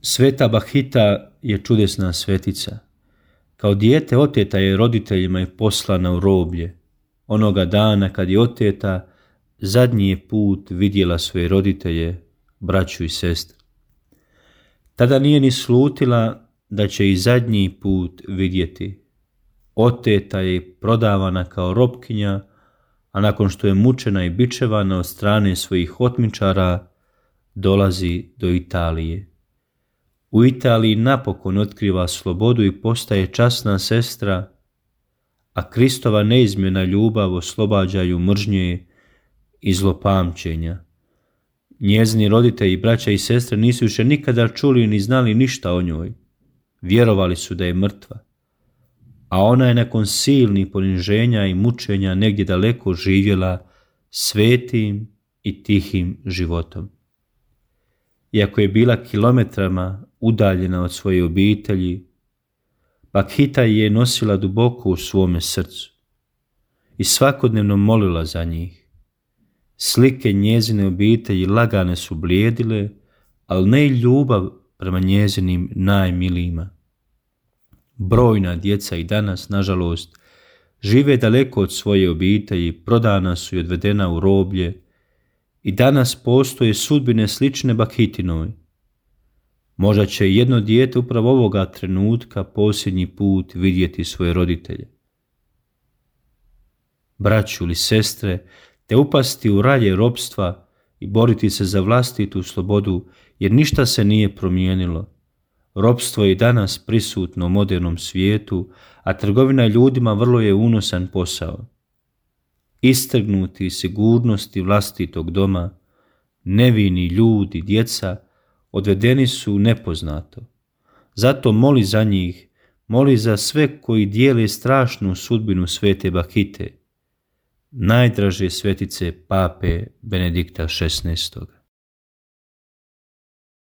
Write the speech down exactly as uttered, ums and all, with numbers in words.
Sveta Bahita je čudesna svetica. Kao dijete oteta je roditeljima i poslana u roblje. Onoga dana kad je oteta, zadnji je put vidjela svoje roditelje, braću i sestre. Tada nije ni slutila da će i zadnji put vidjeti. Oteta je prodavana kao robkinja, a nakon što je mučena i bičevana od strane svojih otmičara, dolazi do Italije. U Italiji napokon otkriva slobodu i postaje časna sestra, a Kristova neizmjerna ljubav oslobađa ju mržnje i zlopamćenja. Njezini roditelji, braća i sestre nisu više nikada čuli ni znali ništa o njoj. Vjerovali su da je mrtva, a ona je nakon silnih poniženja i mučenja negdje daleko živjela svetim i tihim životom. Iako je bila kilometrama udaljena od svoje obitelji, Bakhita je nosila duboko u svome srcu i svakodnevno molila za njih. Slike njezine obitelji lagane su blijedile, ali ne i ljubav prema njezinim najmilijima. Brojna djeca i danas, nažalost, žive daleko od svoje obitelji, prodana su i odvedena u roblje, i danas postoje sudbine slične Bakhitinoj. Možda će jedno dijete upravo ovoga trenutka posljednji put vidjeti svoje roditelje. Braću ili sestre, te upasti u ralje ropstva i boriti se za vlastitu slobodu, jer ništa se nije promijenilo. Ropstvo je danas prisutno u modernom svijetu, a trgovina ljudima vrlo je unosan posao. Istrgnuti iz sigurnosti vlastitog doma, nevini ljudi, djeca, odvedeni su nepoznato. Zato moli za njih, moli za sve koji dijele strašnu sudbinu svete Bakhite, najdraže svetice pape Benedikta šesnaestog.